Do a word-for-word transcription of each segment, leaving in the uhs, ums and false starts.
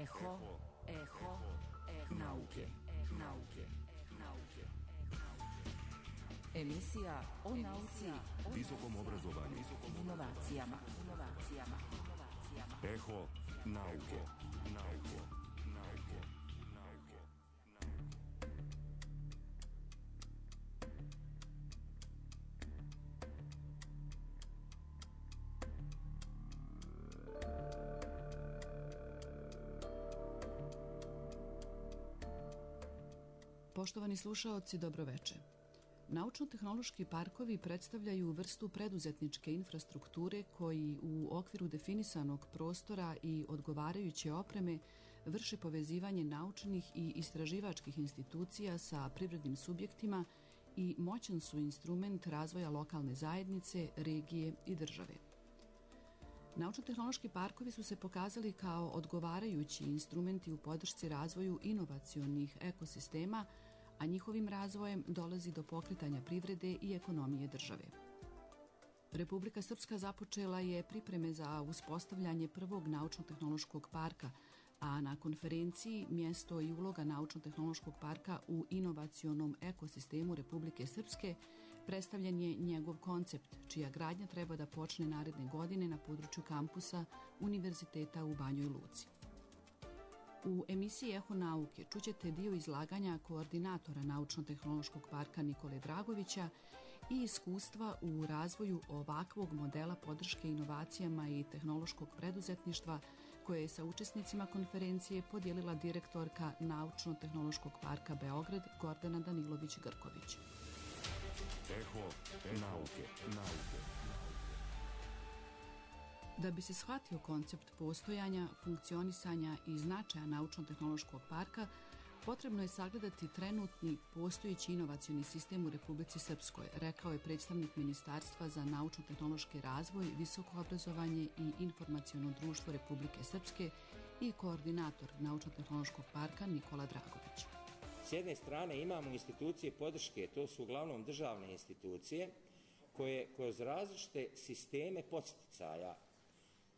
Eho, eho, eho nauke, nauke, nauke. Emisija o nauci, visokom obrazovanju, inovacijama, inovacijama, inovacijama. Eho nauke, nauke, nauke, nauke, nauke. Poštovani slušaoci, dobroveče. Naučno-tehnološki parkovi predstavljaju vrstu preduzetničke infrastrukture koji u okviru definisanog prostora i odgovarajuće opreme vrše povezivanje naučnih i istraživačkih institucija sa privrednim subjektima i moćan su instrument razvoja lokalne zajednice, regije i države. Naučno-tehnološki parkovi su se pokazali kao odgovarajući instrumenti u podršci razvoju inovacionih ekosistema, a njihovim razvojem dolazi do pokretanja privrede i ekonomije države. Republika Srpska započela je pripreme za uspostavljanje prvog naučno-tehnološkog parka, a na konferenciji Mjesto i uloga naučno-tehnološkog parka u inovacionom ekosistemu Republike Srpske predstavljen je njegov koncept, čija gradnja treba da počne naredne godine na području kampusa Univerziteta u Banjoj Luci. U emisiji Eho nauke čućete dio izlaganja koordinatora Naučno-tehnološkog parka Nikole Dragovića i iskustva u razvoju ovakvog modela podrške inovacijama i tehnološkog preduzetništva koje je sa učesnicima konferencije podijelila direktorka Naučno-tehnološkog parka Beograd Gordana Danilović-Grković. Eho nauke, nauke. Da bi se shvatio koncept postojanja, funkcionisanja i značaja Naučno-tehnološkog parka, potrebno je sagledati trenutni postojeći inovacioni sistem u Republici Srpskoj, rekao je predstavnik Ministarstva za naučno-tehnološki razvoj, visoko obrazovanje i informaciono društvo Republike Srpske i koordinator Naučno-tehnološkog parka Nikola Dragović. S jedne strane imamo institucije podrške, to su uglavnom državne institucije, koje kroz različite sisteme podsticaja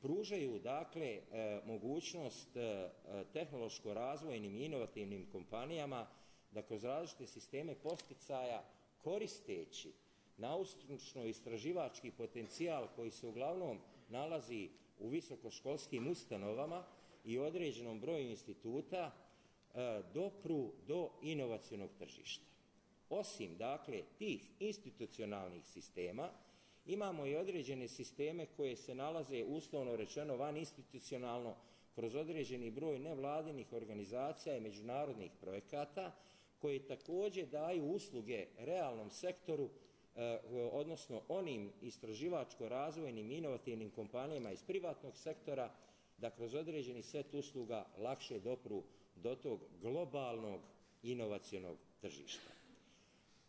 pružaju dakle e, mogućnost e, tehnološko-razvojnim i inovativnim kompanijama da kroz različite sisteme podsticaja koristeći naučno-istraživački potencijal koji se uglavnom nalazi u visokoškolskim ustanovama i određenom broju instituta e, dopru do inovacionog tržišta. Osim dakle tih institucionalnih sistema, imamo i određene sisteme koje se nalaze uslovno rečeno van institucionalno kroz određeni broj nevladinih organizacija i međunarodnih projekata koji također daju usluge realnom sektoru, eh, odnosno onim istraživačko-razvojnim inovativnim kompanijama iz privatnog sektora da kroz određeni set usluga lakše dopru do tog globalnog inovacionog tržišta.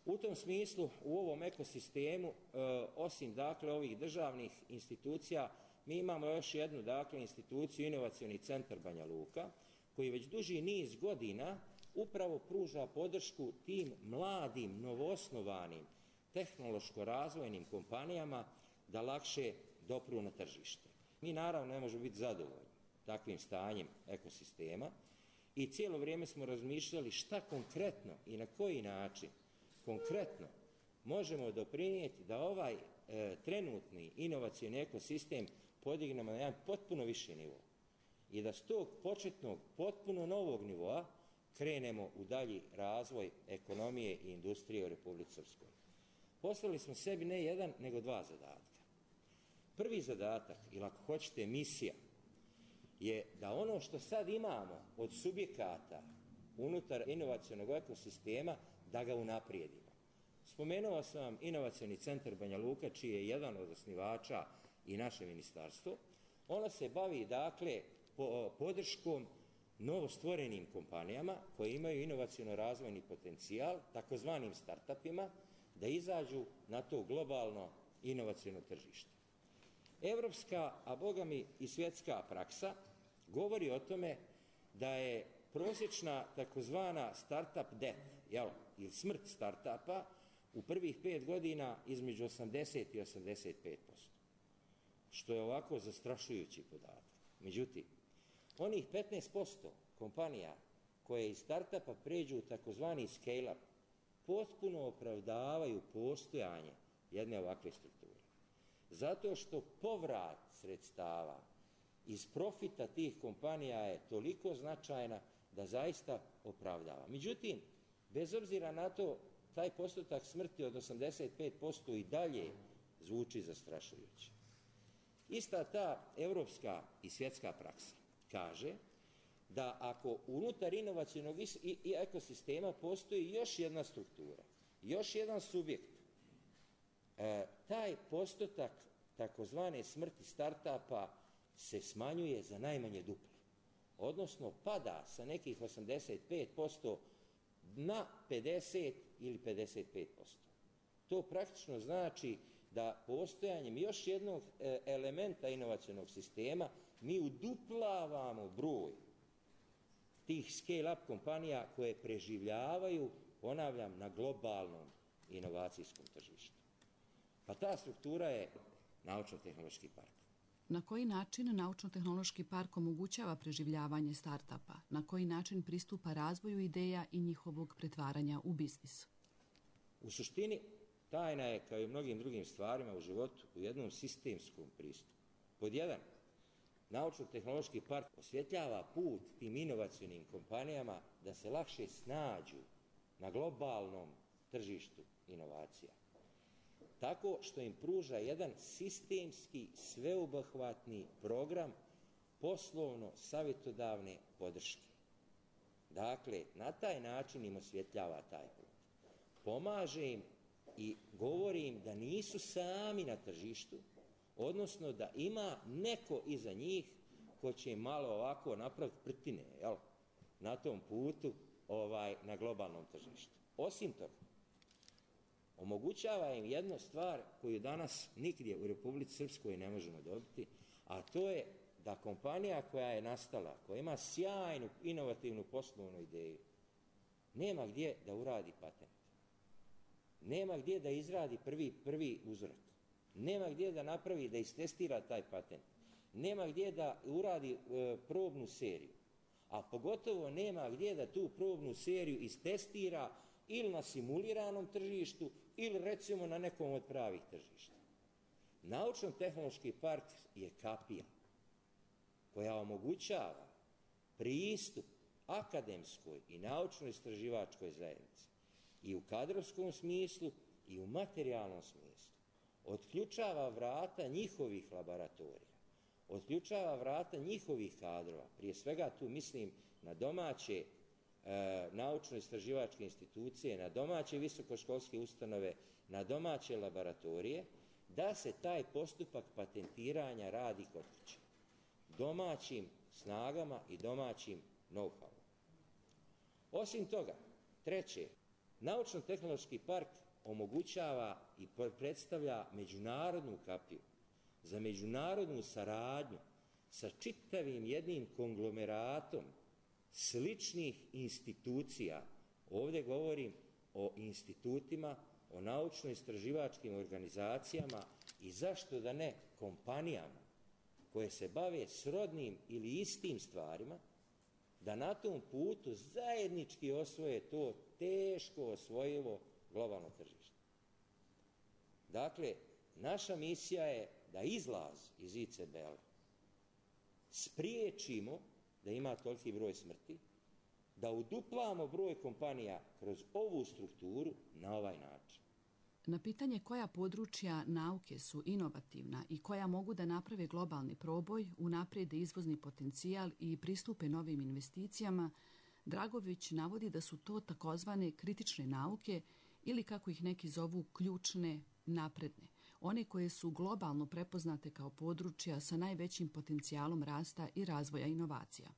U tom smislu, u ovom ekosistemu, e, osim dakle ovih državnih institucija, mi imamo još jednu dakle instituciju, Inovacioni centar Banja Luka, koji već duži niz godina upravo pruža podršku tim mladim, novoosnovanim, tehnološko-razvojnim kompanijama da lakše dopru na tržište. Mi naravno ne možemo biti zadovoljni takvim stanjem ekosistema i cijelo vrijeme smo razmišljali šta konkretno i na koji način konkretno možemo doprinijeti da ovaj e, trenutni inovacioni ekosistem podignemo na jedan potpuno viši nivo i da s tog početnog potpuno novog nivoa krenemo u dalji razvoj ekonomije i industrije u Republici Srpskoj. Postavili smo sebi ne jedan, nego dva zadatka. Prvi zadatak, ili ako hoćete misija, je da ono što sad imamo od subjekata unutar inovacionog ekosistema, da ga unaprijedimo. Spomenuo sam vam Inovacioni centar Banja Luka, čiji je jedan od osnivača i naše ministarstvo. Ono se bavi, dakle, po, podrškom novostvorenim kompanijama koje imaju inovaciono-razvojni potencijal, takozvanim startupima, da izađu na to globalno inovaciono tržište. Evropska, a bogami i svjetska praksa govori o tome da je prosječna takozvana startup death, jel, ili smrt startupa u prvih pet godina između osamdeset i osamdeset pet posto, što je ovako zastrašujući podatak. Međutim, onih petnaest posto kompanija koje iz startupa pređu u takozvani scale-up potpuno opravdavaju postojanje jedne ovakve strukture. Zato što povrat sredstava iz profita tih kompanija je toliko značajna da zaista opravdava. Međutim, bez obzira na to, taj postotak smrti od osamdeset pet posto i dalje zvuči zastrašujuće. Ista ta evropska i svjetska praksa kaže da ako unutar inovacionog i ekosistema postoji još jedna struktura, još jedan subjekt, e, taj postotak takozvane smrti startupa se smanjuje za najmanje duplo. Odnosno pada sa nekih osamdeset pet posto na pedeset ili pedeset pet posto. To praktično znači da postojanjem još jednog elementa inovacionog sistema mi uduplavamo broj tih scale-up kompanija koje preživljavaju, ponavljam, na globalnom inovacijskom tržištu. Pa ta struktura je naučno-tehnološki park. Na koji način naučno-tehnološki park omogućava preživljavanje startupa? Na koji način pristupa razvoju ideja i njihovog pretvaranja u biznis? U suštini, tajna je, kao i u mnogim drugim stvarima u životu, u jednom sistemskom pristupu. Pod jedan, naučno-tehnološki park osvjetljava put tim inovacionim kompanijama da se lakše snađu na globalnom tržištu inovacija. Tako što im pruža jedan sistemski, sveobuhvatni program poslovno-savjetodavne podrške. Dakle, na taj način im osvjetljava taj put. Pomaže im i govori im da nisu sami na tržištu, odnosno da ima neko iza njih ko će im malo ovako napraviti prtine, jel, na tom putu ovaj, na globalnom tržištu. Osim toga, omogućava im jednu stvar koju danas nigdje u Republici Srpskoj ne možemo dobiti, a to je da kompanija koja je nastala, koja ima sjajnu, inovativnu poslovnu ideju, nema gdje da uradi patent. Nema gdje da izradi prvi, prvi uzorak. Nema gdje da napravi, da istestira taj patent. Nema gdje da uradi e, probnu seriju. A pogotovo nema gdje da tu probnu seriju istestira ili na simuliranom tržištu ili recimo na nekom od pravih tržišta. Naučno-tehnološki park je kapija koja omogućava pristup akademskoj i naučno-istraživačkoj zajednici i u kadrovskom smislu i u materijalnom smislu. Otključava vrata njihovih laboratorija, otključava vrata njihovih kadrova, prije svega tu mislim na domaće e, naučno-istraživačke institucije, na domaće visokoškolske ustanove, na domaće laboratorije, da se taj postupak patentiranja radi kod kuće. Domaćim snagama i domaćim know-howom. Osim toga, treće, naučno-tehnološki park omogućava i predstavlja međunarodnu kapiju za međunarodnu saradnju sa čitavim jednim konglomeratom sličnih institucija. Ovdje govorim o institutima, o naučno-istraživačkim organizacijama i zašto da ne kompanijama koje se bave srodnim ili istim stvarima, da na tom putu zajednički osvoje to teško osvojivo globalno tržište. Dakle, naša misija je da izlaz iz I C B L spriječimo da ima toliki broj smrti, da uduplamo broj kompanija kroz ovu strukturu na ovaj način. Na pitanje koja područja nauke su inovativna i koja mogu da naprave globalni proboj, unaprijede izvozni potencijal i pristupe novim investicijama, Dragović navodi da su to takozvane kritične nauke ili kako ih neki zovu ključne, napredne, one koje su globalno prepoznate kao područja sa najvećim potencijalom rasta i razvoja inovacija.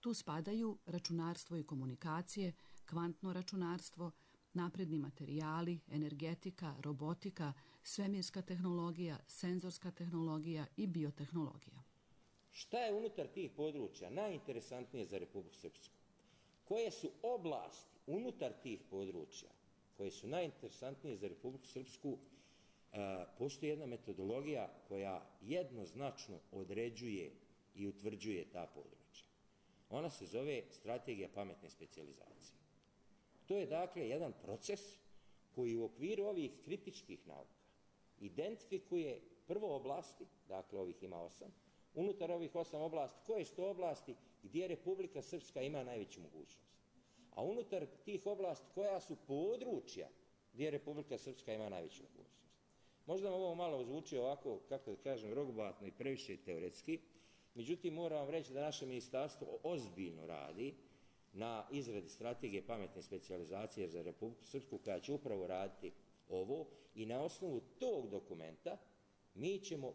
Tu spadaju računarstvo i komunikacije, kvantno računarstvo, napredni materijali, energetika, robotika, svemirska tehnologija, senzorska tehnologija i biotehnologija. Šta je unutar tih područja najinteresantnije za Republiku Srpsku? Koje su oblasti unutar tih područja koje su najinteresantnije za Republiku Srpsku? E, postoji jedna metodologija koja jednoznačno određuje i utvrđuje ta područja. Ona se zove strategija pametne specijalizacije. To je dakle jedan proces koji u okviru ovih kritičkih nauka identifikuje prvo oblasti, dakle ovih ima osam, unutar ovih osam oblasti, koje su to oblasti gdje Republika Srpska ima najveću mogućnost. A unutar tih oblasti koja su područja gdje Republika Srpska ima najveću mogućnost. Možda vam ovo malo zvuči ovako, kako da kažem, rogobatno i previše teoretski, međutim moram vam reći da naše ministarstvo ozbiljno radi na izradi strategije pametne specijalizacije za Republiku Srpsku koja će upravo raditi ovo i na osnovu tog dokumenta mi ćemo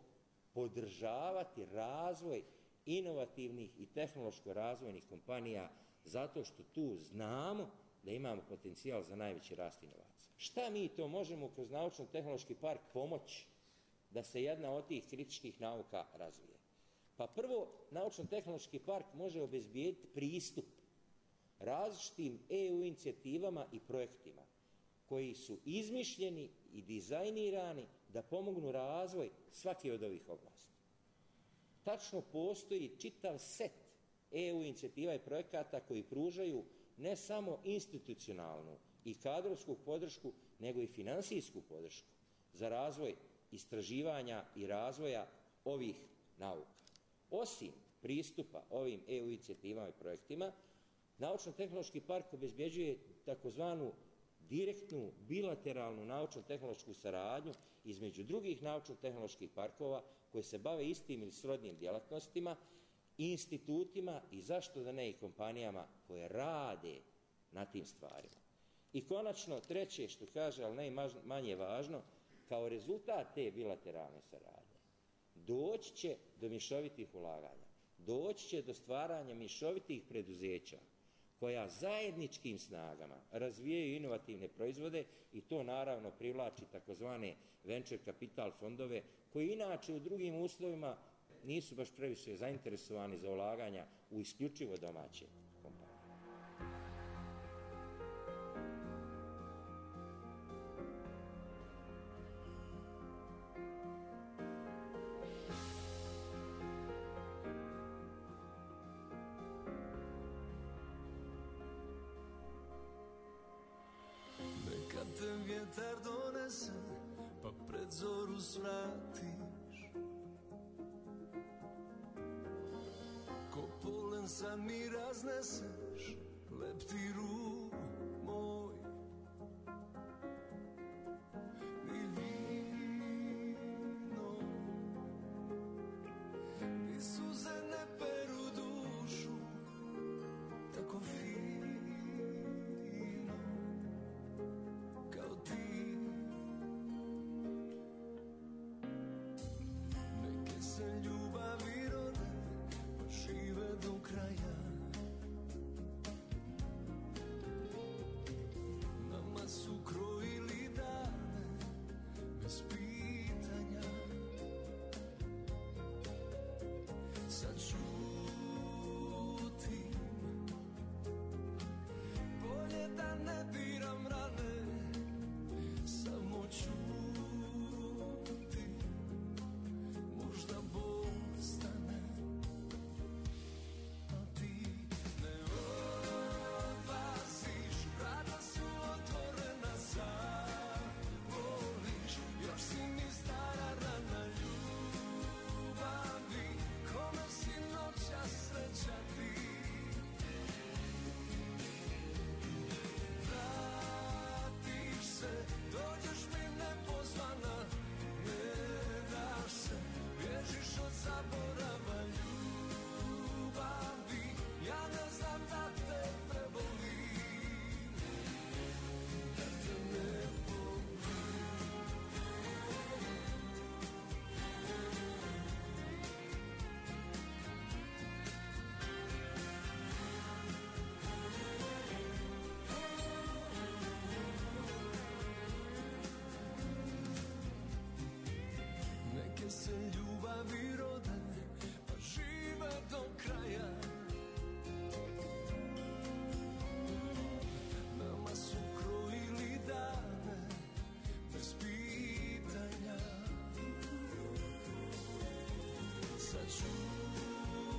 podržavati razvoj inovativnih i tehnološko-razvojnih kompanija zato što tu znamo da imamo potencijal za najveći rast inovacija. Šta mi to možemo kroz naučno-tehnološki park pomoći da se jedna od tih kritičkih nauka razvije? Pa prvo, naučno-tehnološki park može obezbijediti pristup različitim E U inicijativama i projektima koji su izmišljeni i dizajnirani da pomognu razvoj svake od ovih oblasti. Tačno postoji čitav set E U inicijativa i projekata koji pružaju ne samo institucionalnu i kadrovsku podršku, nego i finansijsku podršku za razvoj istraživanja i razvoja ovih nauka. Osim pristupa ovim E U inicijativama i projektima, Naučno-tehnološki park obezbeđuje takozvanu direktnu bilateralnu naučno-tehnološku saradnju između drugih naučno-tehnoloških parkova koji se bave istim ili srodnim djelatnostima i institutima i zašto da ne i kompanijama koje rade na tim stvarima. I konačno, treće što kaže, ali najmanje važno, kao rezultat te bilateralne saradnje doći će do mješovitih ulaganja, doći će do stvaranja mješovitih preduzeća koja zajedničkim snagama razvijaju inovativne proizvode i to naravno privlači takozvane venture capital fondove koji inače u drugim uslovima nisu baš previše zainteresovani za ulaganja u isključivo domaće kompanije. Te vjetar donese, pa pred zoru svratiš. Ko polen sad mi razneseš, leptiru moj. Ni vino, ni suze ne peru dušu, tako fino. Sad čutim, bolje da ne diram rane, samo čutim, možda Bog stane, a ti ne odlaziš, vrata su otvorena, zavoliš, još si mi stara rana ljubavi, kome si noća sreća ti. Vratiš se, dođeš mi nepozvana, ne daš se, bježiš od zaborava ljubavi, ja ne znam da te prebolim, da te ne se ljubavi rode, pa žive do kraja. Nama su krojili dane bez pitanja. Sad čutim,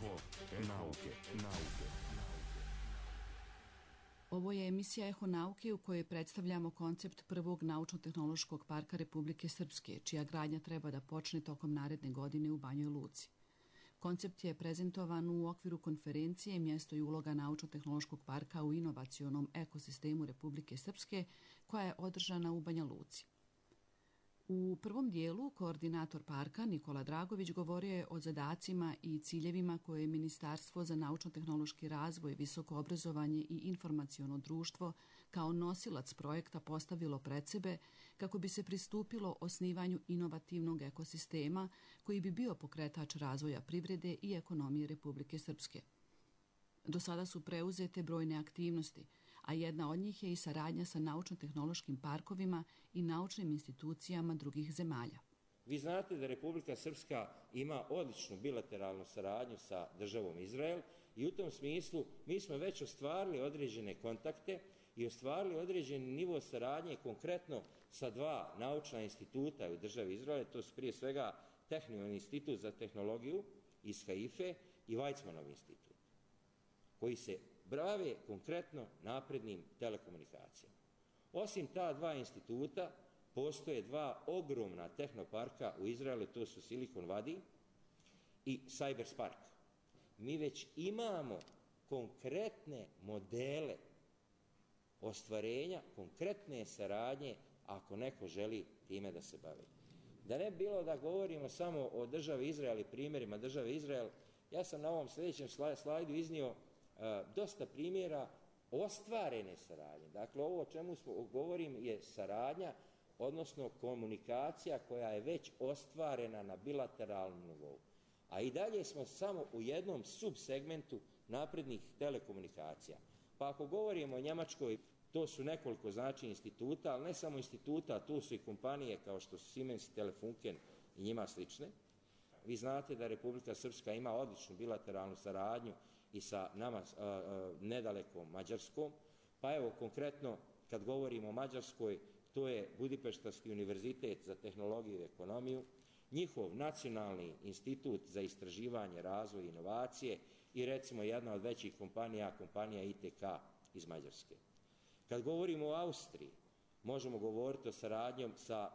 Eho nauke, nauke. Ovo je emisija Eho nauke u kojoj predstavljamo koncept prvog naučno-tehnološkog parka Republike Srpske, čija gradnja treba da počne tokom naredne godine u Banjoj Luci. Koncept je prezentovan u okviru konferencije Mjesto i uloga naučno-tehnološkog parka u inovacionom ekosistemu Republike Srpske, koja je održana u Banja Luci. U prvom dijelu koordinator parka Nikola Dragović govorio je o zadacima i ciljevima koje je Ministarstvo za naučno-tehnološki razvoj, visoko obrazovanje i informaciono društvo kao nosilac projekta postavilo pred sebe kako bi se pristupilo osnivanju inovativnog ekosistema koji bi bio pokretač razvoja privrede i ekonomije Republike Srpske. Do sada su preuzete brojne aktivnosti, a jedna od njih je i saradnja sa naučno-tehnološkim parkovima i naučnim institucijama drugih zemalja. Vi znate da Republika Srpska ima odličnu bilateralnu saradnju sa državom Izrael i u tom smislu mi smo već ostvarili određene kontakte i ostvarili određeni nivo saradnje konkretno sa dva naučna instituta u državi Izrael, to su prije svega Tehnion institut za tehnologiju iz Haife i Weizmannov institut, koji se bave konkretno naprednim telekomunikacijama. Osim ta dva instituta, postoje dva ogromna tehnoparka u Izraelu, to su Silicon Valley i Cyberspark. Mi već imamo konkretne modele ostvarenja, konkretne saradnje ako neko želi time da se bavi. Da ne bi bilo da govorimo samo o državi Izrael i primjerima države Izrael, ja sam na ovom sljedećem slajdu iznio dosta primjera ostvarene saradnje. Dakle, ovo o čemu smo, govorim je saradnja, odnosno komunikacija koja je već ostvarena na bilateralnom nivou. A i dalje smo samo u jednom subsegmentu naprednih telekomunikacija. Pa ako govorimo o Njemačkoj, to su nekoliko znači instituta, ali ne samo instituta, tu su i kompanije kao što su Siemens, Telefunken i njima slične. Vi znate da Republika Srpska ima odličnu bilateralnu saradnju i sa nama a, a, nedalekom Mađarskom. Pa evo, konkretno, kad govorimo o Mađarskoj, to je Budimpeštanski univerzitet za tehnologiju i ekonomiju, njihov nacionalni institut za istraživanje, razvoj i inovacije i recimo jedna od većih kompanija, kompanija I T K iz Mađarske. Kad govorimo o Austriji, možemo govoriti o saradnjom sa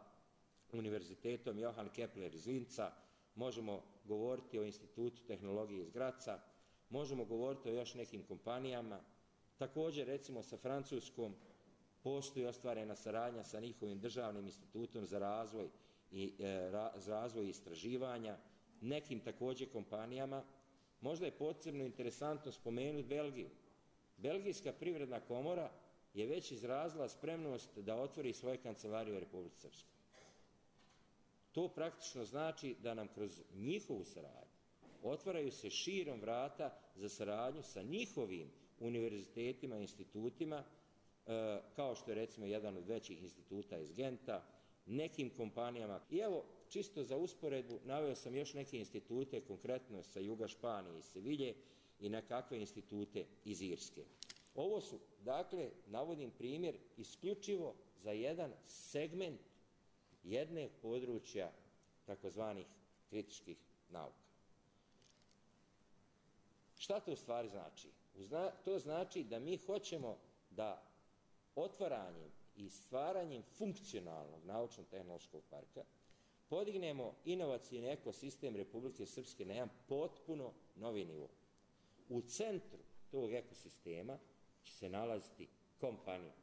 univerzitetom Johann Kepler iz Linca, možemo govoriti o institutu tehnologije iz Graca, možemo govoriti o još nekim kompanijama. Također, recimo, sa Francuskom postoji ostvarena saradnja sa njihovim državnim institutom za razvoj i e, ra, za razvoj i istraživanja, nekim također kompanijama. Možda je posebno interesantno spomenuti Belgiju. Belgijska privredna komora je već izrazila spremnost da otvori svoje kancelarije u Republici Srpskoj. To praktično znači da nam kroz njihovu saradnju otvaraju se širom vrata za saradnju sa njihovim univerzitetima i institutima, e, kao što je recimo jedan od većih instituta iz Genta, nekim kompanijama. I evo, čisto za usporedbu, naveo sam još neke institute, konkretno sa juga Španije i Sevilje i nekakve institute iz Irske. Ovo su, dakle, navodim primjer isključivo za jedan segment jedne područja takozvanih kritičkih nauka. Šta to u stvari znači? To znači da mi hoćemo da otvaranjem i stvaranjem funkcionalnog naučno-tehnološkog parka podignemo inovacijni ekosistem Republike Srpske na jedan potpuno novi nivo. U centru tog ekosistema će se nalaziti kompanija.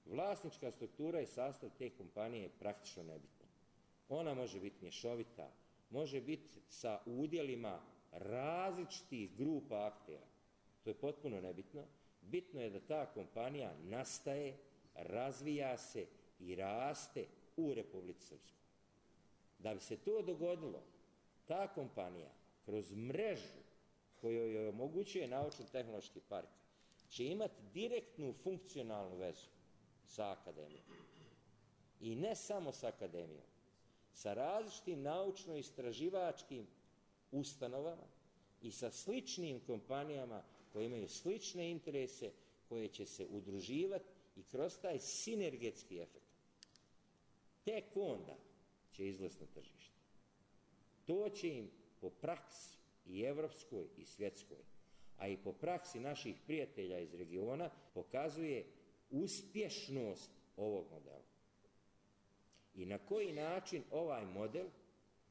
Vlasnička struktura i sastav te kompanije je praktično nebitna. Ona može biti mješovita, može biti sa udjelima različitih grupa aktera. To je potpuno nebitno. Bitno je da ta kompanija nastaje, razvija se i raste u Republici Srpskoj. Da bi se to dogodilo, ta kompanija kroz mrežu koju joj omogućuje naučno-tehnološki park će imati direktnu funkcionalnu vezu sa akademijom. I ne samo sa akademijom, sa različitim naučno-istraživačkim ustanovama i sa sličnim kompanijama koje imaju slične interese, koje će se udruživati i kroz taj sinergetski efekt. Tek onda će izlaziti na tržište. To će im po praksi i evropskoj i svjetskoj, a i po praksi naših prijatelja iz regiona, pokazuje uspješnost ovog modela. I na koji način ovaj model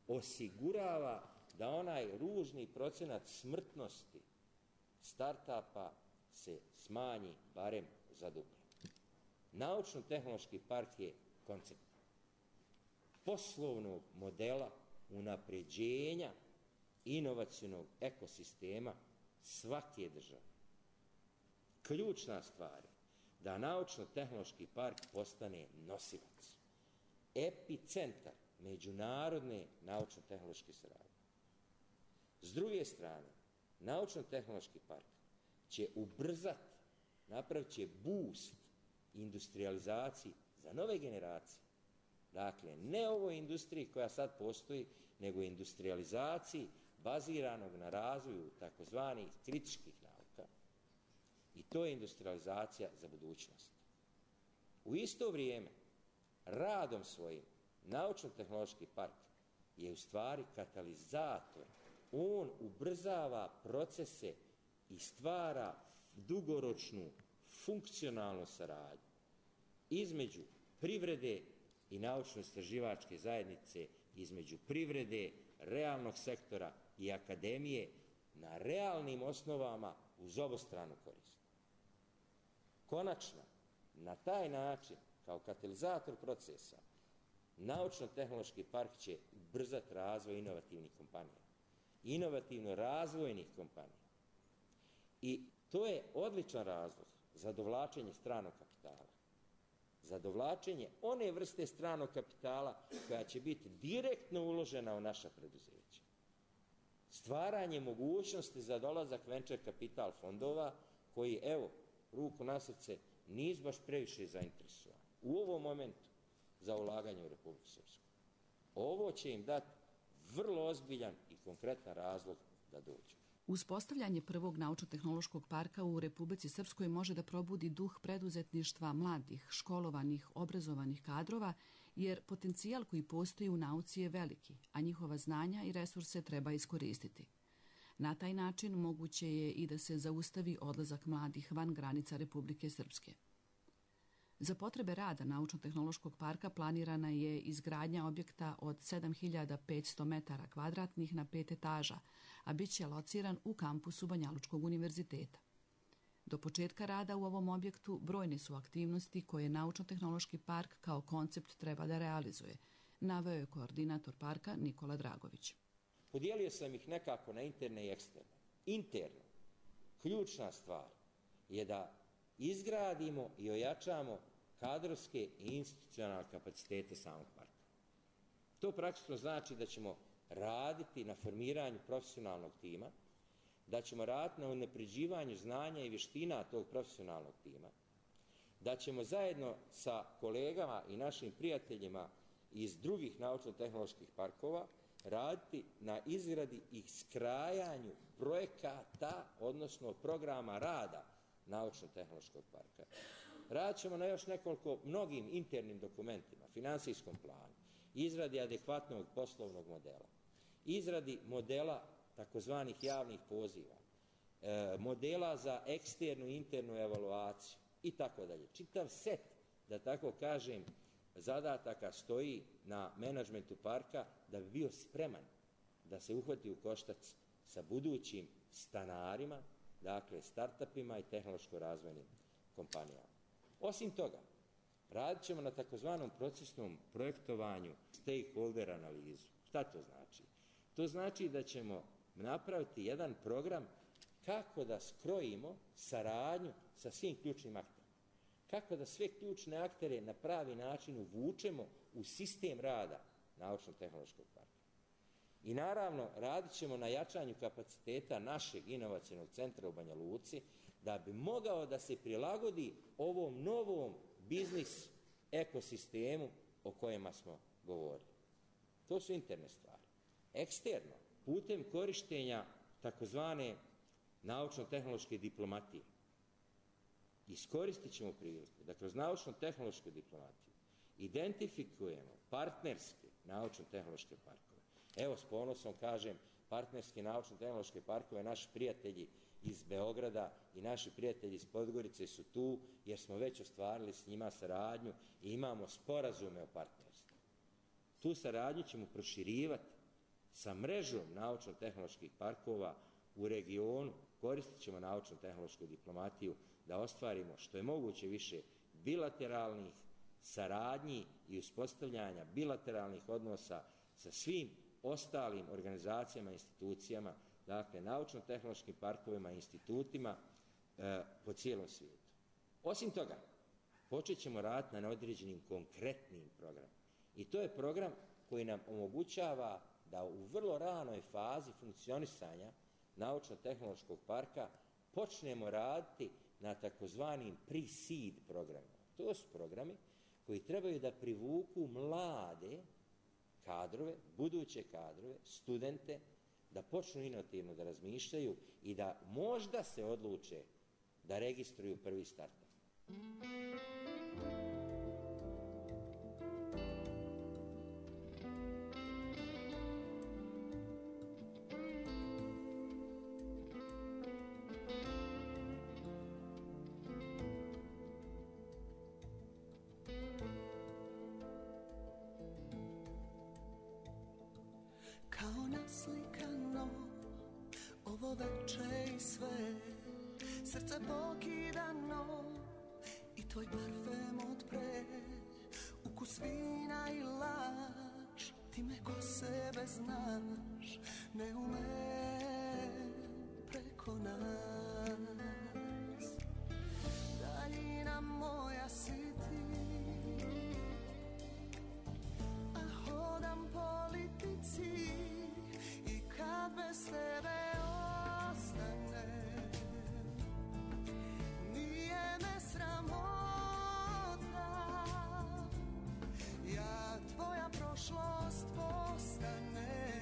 osigurava da onaj ružni procenat smrtnosti startapa se smanji barem za duplo. Naučno-tehnološki park je koncept poslovnog modela unapređenja inovacionog ekosistema svake države. Ključna stvar je da naučno-tehnološki park postane nosilac, epicentar međunarodne naučno-tehnološke saradnje. S druge strane, naučno-tehnološki park će ubrzati, napravit će boost industrializaciji za nove generacije. Dakle, ne ovoj industriji koja sad postoji, nego industrializaciji baziranog na razvoju takozvanih kritičkih nauka. I to je industrializacija za budućnost. U isto vrijeme, radom svojim, naučno-tehnološki park je u stvari katalizator. On ubrzava procese i stvara dugoročnu funkcionalnu saradnju između privrede i naučno-istraživačke zajednice, između privrede, realnog sektora i akademije na realnim osnovama uz obostranu korist. Konačno, na taj način, kao katalizator procesa, naučno-tehnološki park će ubrzati razvoj inovativnih kompanija, inovativno-razvojnih kompanija. I to je odličan razlog za dovlačenje stranog kapitala, za dovlačenje one vrste stranog kapitala koja će biti direktno uložena u naša preduzeća. Stvaranje mogućnosti za dolazak venture kapital fondova koji, evo, ruku na srce, nisu baš previše zainteresovani u ovom momentu za ulaganje u Republiku Srpsku. Ovo će im dati vrlo ozbiljan i konkretan razlog da dođu. Uspostavljanje prvog naučno-tehnološkog parka u Republici Srpskoj može da probudi duh preduzetništva mladih, školovanih, obrazovanih kadrova, jer potencijal koji postoji u nauci je veliki, a njihova znanja i resurse treba iskoristiti. Na taj način moguće je i da se zaustavi odlazak mladih van granica Republike Srpske. Za potrebe rada Naučno-tehnološkog parka planirana je izgradnja objekta od sedam hiljada petsto metara kvadratnih na pet etaža, a bit će lociran u kampusu Banjalučkog univerziteta. Do početka rada u ovom objektu brojne su aktivnosti koje Naučno-tehnološki park kao koncept treba da realizuje, naveo je koordinator parka Nikola Dragović. Podijelio sam ih nekako na interne i eksterne. Interno, ključna stvar je da izgradimo i ojačamo kadrovske i institucionalne kapacitete samog parka. To praktično znači da ćemo raditi na formiranju profesionalnog tima, da ćemo raditi na unapređivanju znanja i vještina tog profesionalnog tima, da ćemo zajedno sa kolegama i našim prijateljima iz drugih naučno-tehnoloških parkova raditi na izradi i skrajanju projekata, odnosno programa rada Naučno-tehnološkog parka. Radit ćemo na još nekoliko mnogim internim dokumentima, finansijskom planu, izradi adekvatnog poslovnog modela, izradi modela takozvanih javnih poziva, e, modela za eksternu i internu evaluaciju i tako dalje. Čitav set, da tako kažem, zadataka stoji na menadžmentu parka da bi bio spreman da se uhvati u koštac sa budućim stanarima, dakle startupima i tehnološko-razvojnim kompanijama. Osim toga, radit ćemo na takozvanom procesnom projektovanju stakeholder analizu. Šta to znači? To znači da ćemo napraviti jedan program kako da skrojimo saradnju sa svim ključnim akterima. Kako da sve ključne aktere na pravi način uvučemo u sistem rada Naučno-tehnološkog parka. I naravno, radit ćemo na jačanju kapaciteta našeg inovacionog centra u Banja Luci da bi mogao da se prilagodi ovom novom biznis ekosistemu o kojima smo govorili. To su interne stvari. Eksterno, putem korištenja takozvane naučno-tehnološke diplomatije, iskoristit ćemo priliku da kroz naučno-tehnološku diplomatiju identifikujemo partnerske naučno-tehnološke parkove. Evo, s ponosom kažem partnerske naučno-tehnološke parkove. Naši prijatelji iz Beograda i naši prijatelji iz Podgorice su tu jer smo već ostvarili s njima saradnju i imamo sporazume o partnerstvu. Tu saradnju ćemo proširivati sa mrežom naučno-tehnoloških parkova u regionu. Koristit ćemo naučno-tehnološku diplomatiju da ostvarimo što je moguće više bilateralnih saradnji i uspostavljanja bilateralnih odnosa sa svim ostalim organizacijama i institucijama, dakle naučno-tehnološkim parkovima i institutima e, po cijelom svijetu. Osim toga, počet ćemo raditi na određenim konkretnim programima. I to je program koji nam omogućava da u vrlo ranoj fazi funkcionisanja naučno-tehnološkog parka počnemo raditi na takozvanim pre-seed programima. To su programi koji trebaju da privuku mlade kadrove, buduće kadrove, studente, da počnu inovativno da razmišljaju i da možda se odluče da registruju prvi startup. Kao naslikano ovo veče i sve, srce pokidano i tvoj parfem od pre, ukus vina i lač, ti me ko sebe znaš, ne umem preko nas. Daljina moja si ti, a hodam politici i kad bez tebe ostane, nije me sramota, ja tvoja prošlost postane,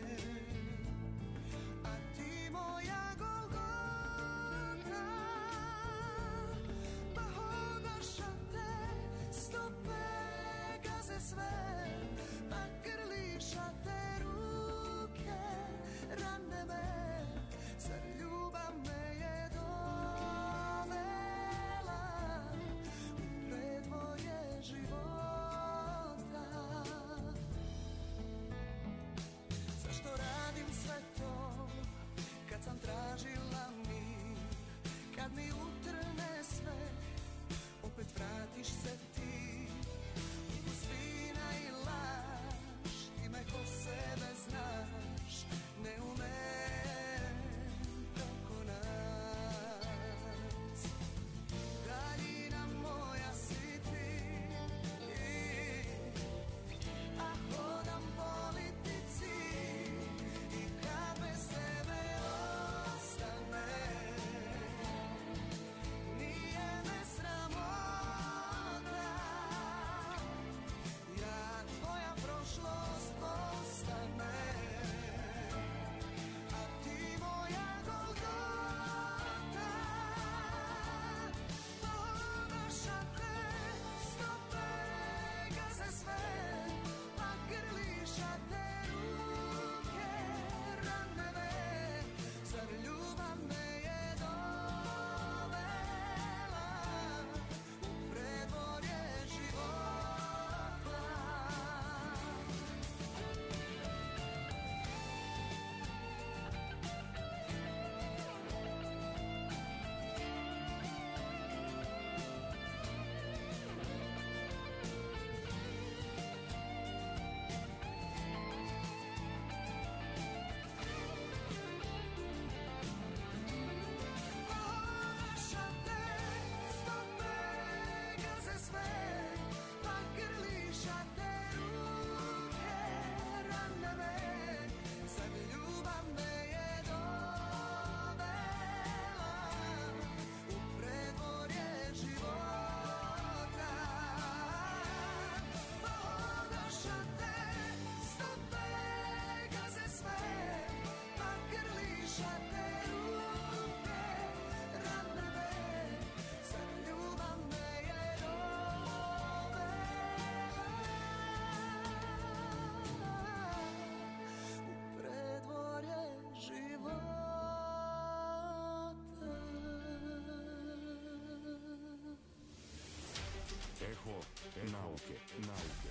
nauke.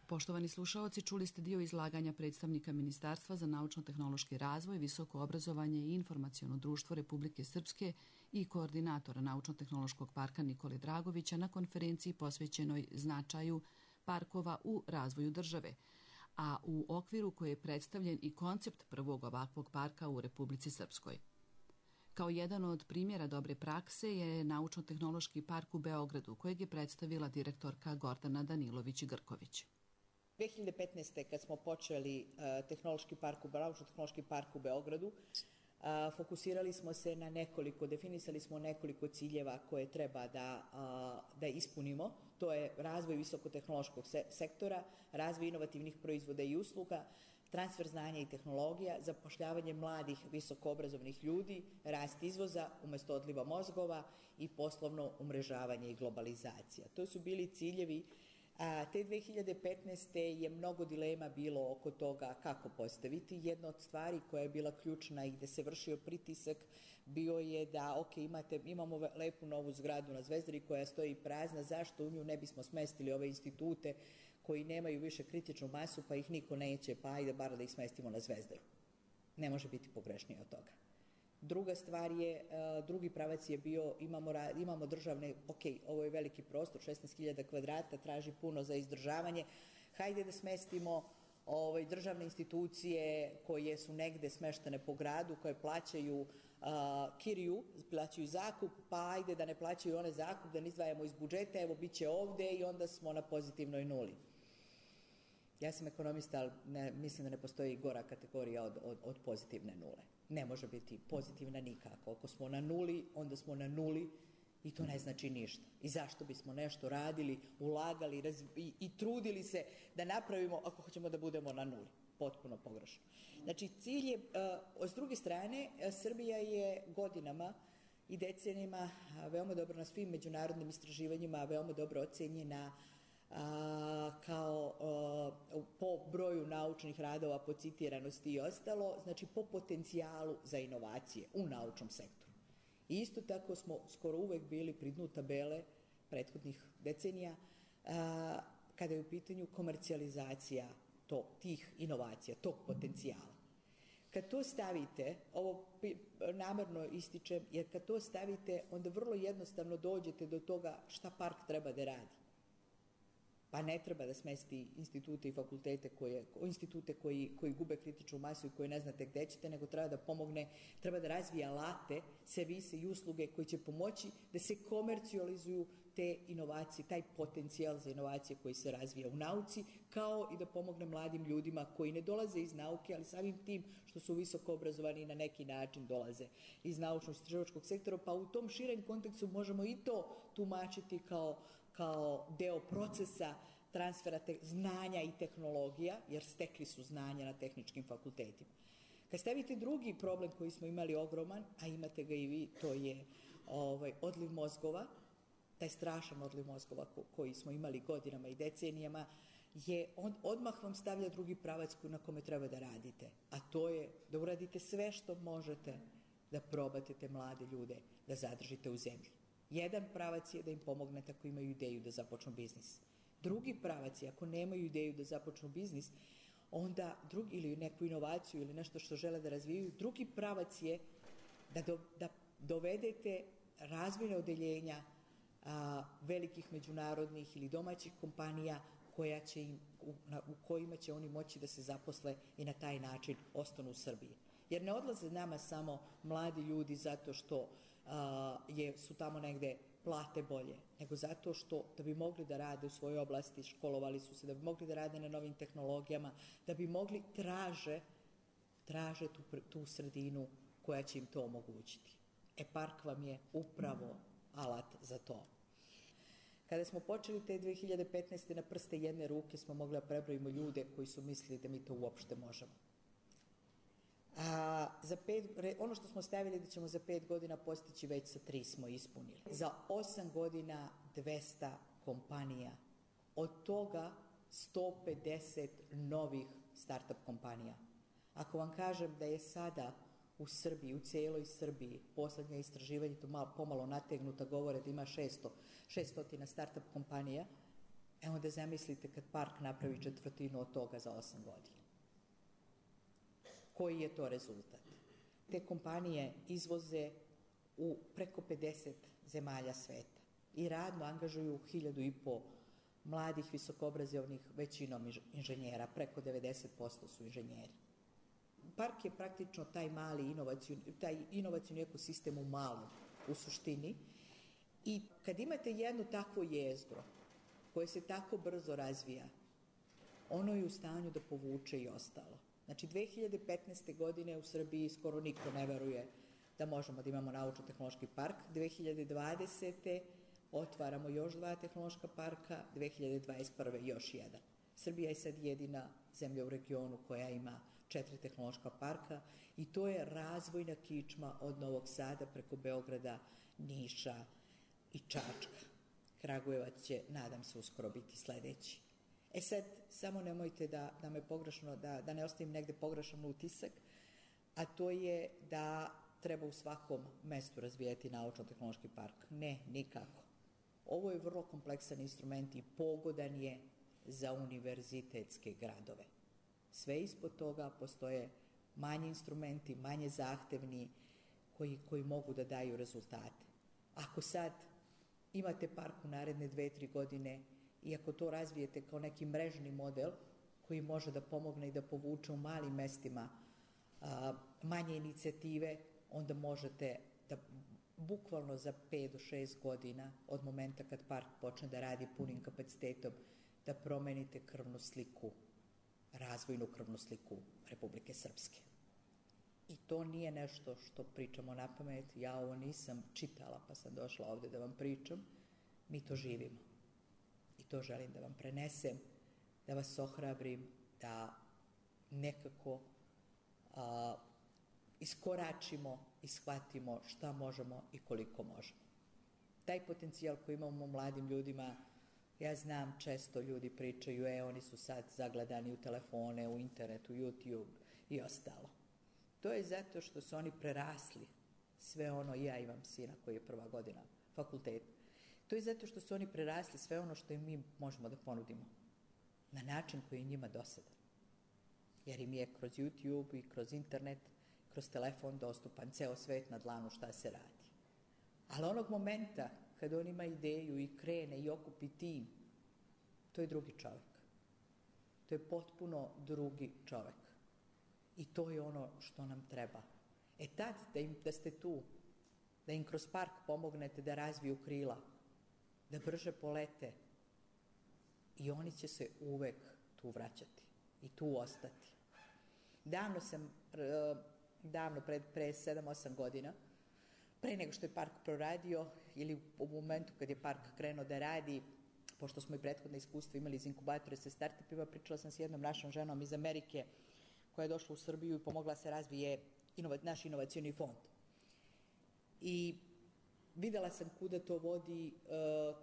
Poštovani slušaoci, čuli ste dio izlaganja predstavnika Ministarstva za naučno-tehnološki razvoj, visoko obrazovanje i informaciono društvo Republike Srpske i koordinatora Naučno-tehnološkog parka Nikole Dragovića na konferenciji posvećenoj značaju parkova u razvoju države, a u okviru koje je predstavljen i koncept prvog ovakvog parka u Republici Srpskoj. Kao jedan od primjera dobre prakse je Naučno-tehnološki park u Beogradu, kojeg je predstavila direktorka Gordana Danilović-Grković. dve hiljade petnaeste. kad smo počeli uh, tehnološki park u Naučno-tehnološki park u Beogradu, uh, fokusirali smo se na nekoliko, definisali smo nekoliko ciljeva koje treba da, uh, da ispunimo. To je razvoj visokotehnološkog se sektora, razvoj inovativnih proizvoda i usluga, transfer znanja i tehnologija, zapošljavanje mladih visokoobrazovnih ljudi, rast izvoza umjesto odliva mozgova i poslovno umrežavanje i globalizacija. To su bili ciljevi. A te dve hiljade petnaeste. je mnogo dilema bilo oko toga kako postaviti. Jedna od stvari koja je bila ključna i gde se vršio pritisak bio je da, ok, imate, imamo lepu novu zgradu na Zvezdari koja stoji prazna, zašto u nju ne bismo smestili ove institute koji nemaju više kritičnu masu, pa ih niko neće, pa ajde bar da ih smestimo na Zvezdaru. Ne može biti pogrešnije od toga. Druga stvar je, drugi pravac je bio, imamo, imamo državne, ok, ovo je veliki prostor, šesnaest hiljada kvadrata, traži puno za izdržavanje, hajde da smestimo ovaj, državne institucije koje su negde smeštene po gradu, koje plaćaju a, kiriju, plaćaju zakup, pa ajde da ne plaćaju one zakup, da ne izdvajamo iz budžeta, evo bit će ovde i onda smo na pozitivnoj nuli. Ja sam ekonomista, ali ne, mislim da ne postoji gora kategorija od, od, od pozitivne nule. Ne može biti pozitivna nikako. Ako smo na nuli, onda smo na nuli i to ne znači ništa. I zašto bismo nešto radili, ulagali i, i trudili se da napravimo ako hoćemo da budemo na nuli. Potpuno pogrešno. Znači, cilj je, s druge strane, Srbija je godinama i decenijama veoma dobro na svim međunarodnim istraživanjima, veoma dobro ocenjena A, kao a, po broju naučnih radova, po citiranosti i ostalo, znači po potencijalu za inovacije u naučnom sektoru. I isto tako smo skoro uvek bili pri dnu tabele prethodnih decenija a, kada je u pitanju komercijalizacija to, tih inovacija, tog potencijala. Kad to stavite, ovo namerno ističem, jer kad to stavite, onda vrlo jednostavno dođete do toga šta park treba da radi. Pa ne treba da smesti institute i fakultete koje, institute koji, koji gube kritičnu masu i koje ne znate gde ćete, nego treba da pomogne, treba da razvije alate, servise i usluge koji će pomoći da se komercijalizuju te inovacije, taj potencijal za inovacije koji se razvija u nauci, kao i da pomogne mladim ljudima koji ne dolaze iz nauke, ali samim tim što su visoko obrazovani i na neki način dolaze iz naučno-istraživačkog sektora, pa u tom širem kontekstu možemo i to tumačiti kao kao deo procesa transfera te, znanja i tehnologija, jer stekli su znanja na tehničkim fakultetima. Kad stavite drugi problem koji smo imali ogroman, a imate ga i vi, to je ovaj, odliv mozgova, taj strašan odliv mozgova ko, koji smo imali godinama i decenijama, je on, odmah vam stavlja drugi pravac na kome treba da radite, a to je da uradite sve što možete da probate te mlade ljude da zadržite u zemlji. Jedan pravac je da im pomognete ako imaju ideju da započnu biznis. Drugi pravac je ako nemaju ideju da započnu biznis, onda drugi, ili neku inovaciju ili nešto što žele da razvijaju, drugi pravac je da, do, da dovedete razvojne odeljenja a, velikih međunarodnih ili domaćih kompanija koja će im, u, na, u kojima će oni moći da se zaposle i na taj način ostanu u Srbiji. Jer ne odlaze nama samo mladi ljudi zato što a, je, su tamo negde plate bolje, nego zato što da bi mogli da rade u svojoj oblasti, školovali su se, da bi mogli da rade na novim tehnologijama, da bi mogli traže, traže tu, tu sredinu koja će im to omogućiti. E, park vam je upravo alat za to. Kada smo počeli te dve hiljade petnaeste. na prste jedne ruke smo mogli da prebrojimo ljude koji su mislili da mi to uopšte možemo. A, za pet, ono što smo stavili da ćemo za pet godina postići, već sa tri smo ispunili. Za osam godina dvesta kompanija, od toga sto pedeset novih start-up kompanija. Ako vam kažem da je sada u Srbiji, u cijeloj Srbiji, poslednje istraživanje, to malo, pomalo nategnuta, govore da ima šesto, šeststo startup kompanija, e onda zamislite kad park napravi četvrtinu od toga za osam godina. Koji je to rezultat? Te kompanije izvoze u preko pedeset zemalja sveta i radno angažuju hiljadu i po mladih, visokoobrazovnih, većinom inženjera, preko devedeset posto su inženjeri. Park je praktično taj mali inovacioni, taj inovacioni ekosistem u malom, u suštini. I kad imate jedno takvo jezgro koje se tako brzo razvija, ono je u stanju da povuče i ostalo. Znači, dve hiljade petnaeste. godine u Srbiji skoro niko ne veruje da možemo da imamo naučno-tehnološki park. dve hiljade dvadesete. otvaramo još dva tehnološka parka, dve hiljade dvadeset prve. još jedan. Srbija je sad jedina zemlja u regionu koja ima četiri tehnološka parka i to je razvojna kičma od Novog Sada preko Beograda, Niša i Čačka. Kragujevac će, nadam se, uskoro biti sledeći. E sad, samo nemojte da, da me pogrešno, da, da ne ostavim negde pogrešan utisak, a to je da treba u svakom mestu razvijati naučno-tehnološki park. Ne, nikako. Ovo je vrlo kompleksan instrument i pogodan je za univerzitetske gradove. Sve ispod toga postoje manji instrumenti, manje zahtevni, koji, koji mogu da daju rezultate. Ako sad imate park u naredne dve, tri godine i ako to razvijete kao neki mrežni model koji može da pomogne i da povuče u malim mestima a, manje inicijative, onda možete da bukvalno za pet do šest godina od momenta kad park počne da radi punim kapacitetom, da promenite krvnu sliku, razvojnu krvnu sliku Republike Srpske. I to nije nešto što pričamo na pamet, ja ovo nisam čitala pa sam došla ovde da vam pričam, mi to živimo. I to želim da vam prenesem, da vas ohrabrim, da nekako a, iskoračimo i shvatimo šta možemo i koliko možemo. Taj potencijal koji imamo u mladim ljudima, ja znam, često ljudi pričaju, e, oni su sad zagledani u telefone, u internetu, YouTube i ostalo. To je zato što su oni prerasli sve ono, ja imam sina koji je prva godina fakulteta, to je zato što su oni prerasli sve ono što im mi možemo da ponudimo na način koji je njima dosadan. Jer im je kroz YouTube i kroz internet, kroz telefon dostupan ceo svet na dlanu šta se radi. Ali onog momenta kad on ima ideju i krene i okupi tim, to je drugi čovek. To je potpuno drugi čovek. I to je ono što nam treba. E tad da, im, da ste tu, da im kroz park pomognete da razviju krila, da brže polete, i oni će se uvek tu vraćati i tu ostati. Davno sam, davno, pre, pre sedam osam godina, pre nego što je park proradio ili u momentu kad je park krenuo da radi, pošto smo i prethodne iskustva imali iz inkubatore sa startupima, pričala sam s jednom našom ženom iz Amerike koja je došla u Srbiju i pomogla se razvije inova, naš inovacioni fond. I videla sam kuda to vodi,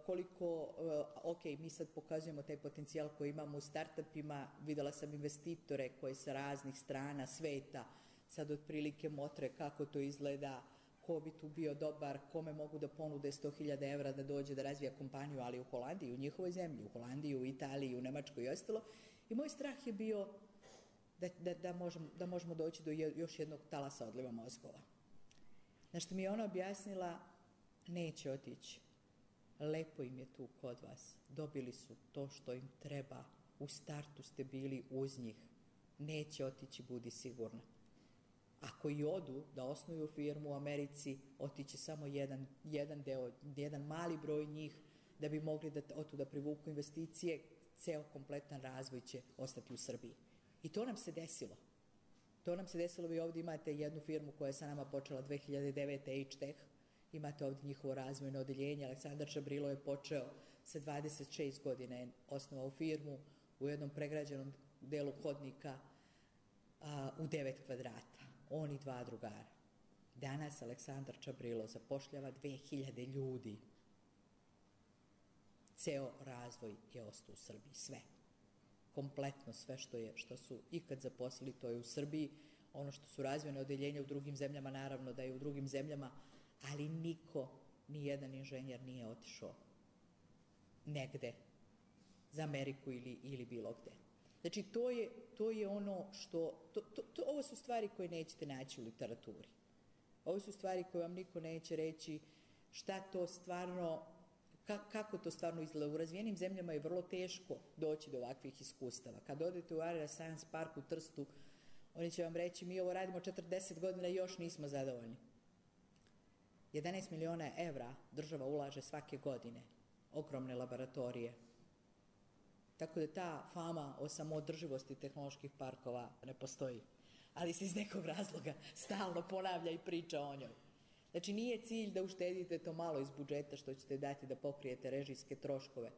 koliko, ok, mi sad pokazujemo taj potencijal koji imamo u startupima, videla sam investitore koji sa raznih strana sveta sad otprilike motre kako to izgleda, ko bi tu bio dobar, kome mogu da ponude sto hiljada evra da dođe da razvija kompaniju, ali u Holandiji, u njihovoj zemlji, u Holandiji, u Italiji, u Nemačkoj i ostalo. I moj strah je bio da, da, da, možemo, da možemo doći do još jednog talasa odliva mozgova. Na što mi je ona objasnila, neće otići. Lepo im je tu kod vas. Dobili su to što im treba. U startu ste bili uz njih. Neće otići, budi sigurna. Ako i odu da osnuju firmu u Americi, otiće samo jedan, jedan deo, jedan mali broj njih da bi mogli da otu da privuku investicije, ceo kompletan razvoj će ostati u Srbiji. I to nam se desilo. To nam se desilo, vi ovdje imate jednu firmu koja je sa nama počela dve hiljade devete. H-Tech, imate ovdje njihovo razvojno odeljenje, Aleksandar Čabrilo je počeo sa dvadeset šest godina, je osnovao firmu u jednom pregrađenom delu hodnika a, u devet kvadrata. On i dva drugara. Danas Aleksandar Čabrilo zapošljava dve hiljade ljudi. Ceo razvoj je ostao u Srbiji, sve. Kompletno sve što, je, što su ikad zaposlili, to je u Srbiji. ono što su razvojne odeljenja u drugim zemljama, naravno da je u drugim zemljama, ali niko, ni jedan inženjer nije otišao negde za Ameriku ili, ili bilo gde. Znači, to je, to je ono što, to, to, to, ovo su stvari koje nećete naći u literaturi. Ovo su stvari koje vam niko neće reći šta to stvarno, ka, kako to stvarno izgleda. U razvijenim zemljama je vrlo teško doći do ovakvih iskustava. Kad odete u Area Science Park u Trstu, oni će vam reći, mi ovo radimo četrdeset godina i još nismo zadovoljni. jedanaest miliona evra država ulaže svake godine, ogromne laboratorije. Tako da ta fama o samoodrživosti tehnoloških parkova ne postoji. Ali se iz nekog razloga stalno ponavlja i priča o njoj. Znači, nije cilj da uštedite to malo iz budžeta što ćete dati da pokrijete režijske troškove.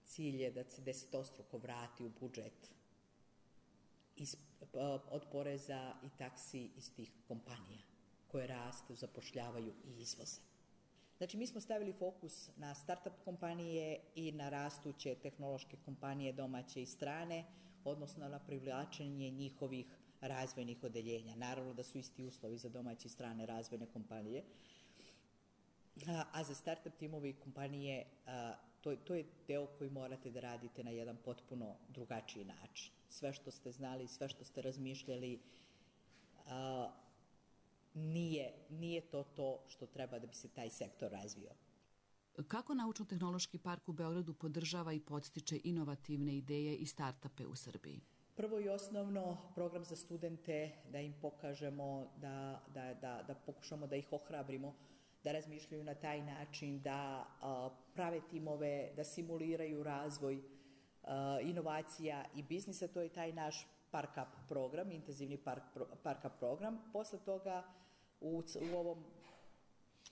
Cilj je da se desetostruko vrati u budžet iz, od poreza i taksi iz tih kompanija koje rastu, zapošljavaju i izvoze. Znači, mi smo stavili fokus na start-up kompanije i na rastuće tehnološke kompanije domaće i strane, odnosno na privlačenje njihovih razvojnih odeljenja. Naravno da su isti uslovi za domaće i strane razvojne kompanije, a, a za start-up timovi i kompanije a, to, to je deo koji morate da radite na jedan potpuno drugačiji način. Sve što ste znali, sve što ste razmišljali, a, Nije, nije to to što treba da bi se taj sektor razvio. Kako Naučno-tehnološki park u Beogradu podržava i podstiče inovativne ideje i startupe u Srbiji? Prvo i osnovno, program za studente, da im pokažemo, da, da, da, da pokušamo da ih ohrabrimo, da razmišljaju na taj način, da a, prave timove, da simuliraju razvoj a, inovacija i biznisa. To je taj naš Park Up program, intenzivni park, Park Up program. Posle toga u, u, ovom,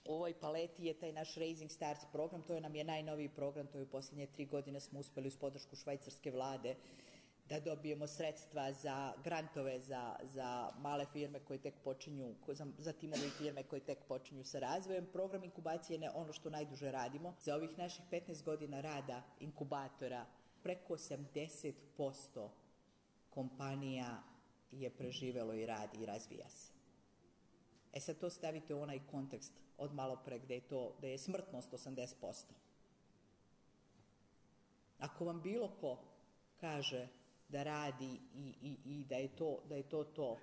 u ovoj paleti je taj naš Raising Stars program, to je nam je najnoviji program, to je u posljednje tri godine smo uspeli uz podršku švajcarske vlade da dobijemo sredstva za grantove za, za male firme koje tek počinju, za, za timove i firme koje tek počinju sa razvojem. Program inkubacije je ono što najduže radimo. Za ovih naših petnaest godina rada inkubatora preko osamdeset posto kompanija je preživelo i radi i razvija se. E sad to stavite u onaj kontekst od malo pre gde je, to, gde je smrtnost osamdeset posto. Ako vam bilo ko kaže da radi i, i, i da, je to, da je to to,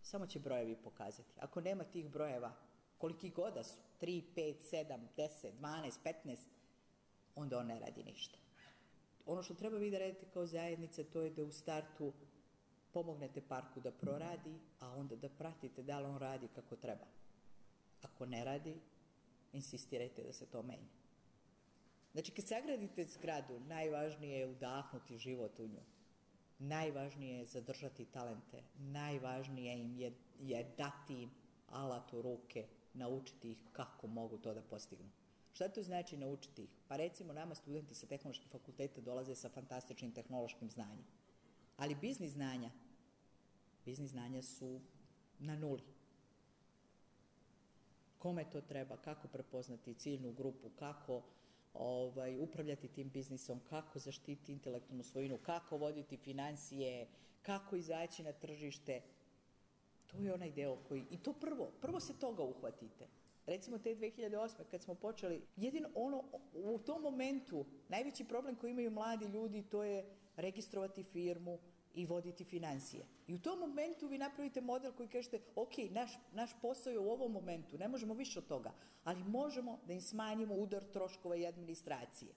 samo će brojevi pokazati. Ako nema tih brojeva, koliki god da su, tri, pet, sedam, deset, dvanaest, petnaest, onda on ne radi ništa. Ono što treba vi da radite kao zajednica, to je da u startu pomognete parku da proradi, a onda da pratite da li on radi kako treba. Ako ne radi, insistirajte da se to menja. Znači, kad sagradite zgradu, najvažnije je udahnuti život u nju. Najvažnije je zadržati talente. Najvažnije im je, je dati im alat u ruke, naučiti ih kako mogu to da postignu. Šta to znači naučiti ih? Pa recimo, nama studenti sa tehnoloških fakulteta dolaze sa fantastičnim tehnološkim znanjem. Ali biznis znanja, biznis znanja su na nuli. Kome to treba, kako prepoznati ciljnu grupu, kako ovaj, upravljati tim biznisom, kako zaštiti intelektualnu svojinu, kako voditi financije, kako izaći na tržište. To je onaj deo koji, i to prvo, prvo se toga uhvatite. Recimo te dve hiljade osme kad smo počeli, jedino ono, u tom momentu, najveći problem koji imaju mladi ljudi, to je registrovati firmu i voditi financije. I u tom momentu vi napravite model koji kažete, ok, naš, naš posao je u ovom momentu, ne možemo više od toga, ali možemo da im smanjimo udar troškova i administracije.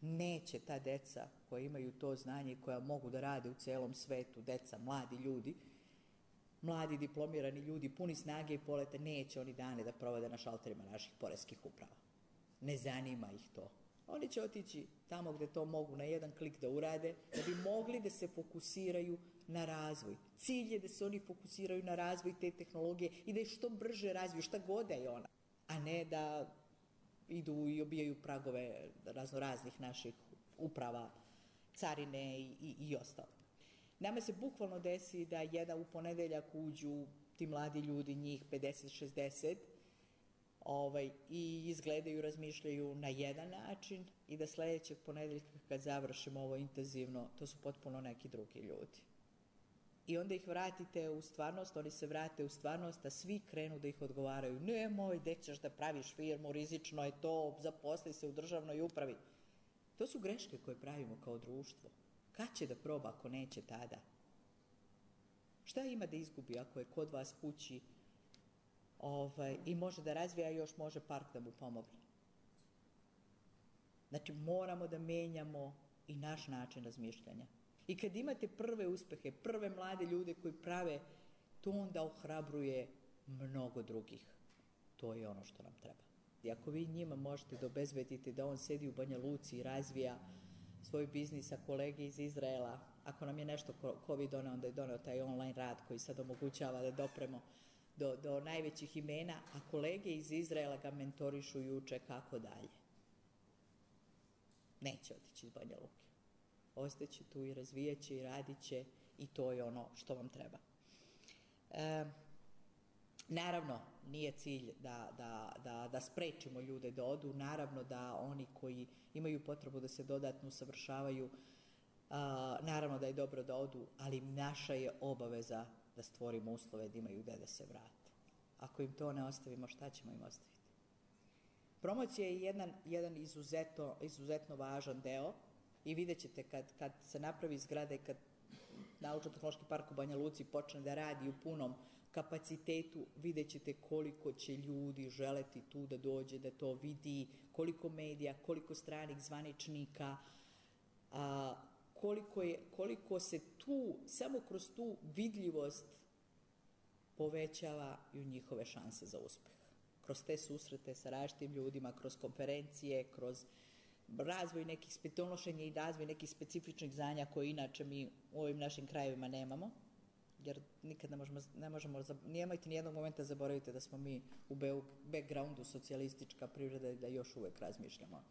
Neće ta deca koja imaju to znanje i koja mogu da rade u celom svetu, deca, mladi ljudi, mladi diplomirani ljudi, puni snage i poleta, neće oni dane da provode na šalterima naših poreskih uprava. Ne zanima ih to. Oni će otići tamo gde to mogu na jedan klik da urade, da bi mogli da se fokusiraju na razvoj. Cilj je da se oni fokusiraju na razvoj te tehnologije i da je što brže razviju, šta god da je ona, a ne da idu i obijaju pragove razno raznih naših uprava, carine i, i, i ostalo. Nama se bukvalno desi da jedan u ponedeljak uđu ti mladi ljudi, njih pedeset šezdeset, ovaj, i izgledaju, razmišljaju na jedan način i da sledećeg ponedeljka kad završimo ovo intenzivno, to su potpuno neki drugi ljudi. I onda ih vratite u stvarnost, oni se vrate u stvarnost, a svi krenu da ih odgovaraju. Nemoj, gde ćeš da praviš firmu, rizično je to, zaposli se u državnoj upravi. To su greške koje pravimo kao društvo. Kad će da proba ako neće tada? Šta ima da izgubi ako je kod vas kući ovaj, i može da razvija, još može park da mu pomogne? Znači, moramo da menjamo i naš način razmišljanja. I kad imate prve uspehe, prve mlade ljude koji prave, to onda ohrabruje mnogo drugih. To je ono što nam treba. I ako vi njima možete da obezbedite da on sedi u Banja Luci i razvija svoj biznis, a kolege iz Izraela, ako nam je nešto COVID doneo, onda je doneo taj online rad koji sad omogućava da dopremo do, do najvećih imena, a kolege iz Izraela ga mentorišu i uče kako dalje. Neće otići iz Banja Luke. Ostaće tu i razvijat će i radit će i to je ono što vam treba. E, naravno, nije cilj da, da, da, da sprečimo ljude da odu, naravno da oni koji imaju potrebu da se dodatno usavršavaju, a, naravno da je dobro da odu, ali naša je obaveza da stvorimo uslove da imaju gde da se vrate. Ako im to ne ostavimo, šta ćemo im ostaviti? Promocija je jedan, jedan izuzetno, izuzetno važan deo i vidjet ćete kad, kad se napravi zgrada i kad Naučno-tehnološki park u Banja Luci počne da radi u punom kapacitetu, vidjet ćete koliko će ljudi želeti tu da dođe, da to vidi, koliko medija, koliko stranih zvaničnika, a, koliko, je, koliko se tu, samo kroz tu vidljivost povećavaju njihove šanse za uspeh. Kroz te susrete sa različitim ljudima, kroz konferencije, kroz razvoj nekih, donošenje i razvoj nekih specifičnih znanja koje inače mi u ovim našim krajevima nemamo, jer nikad ne možemo, ne možemo, nemojte nijednog momenta zaboravite da smo mi u backgroundu socijalistička privreda i da još uvek razmišljamo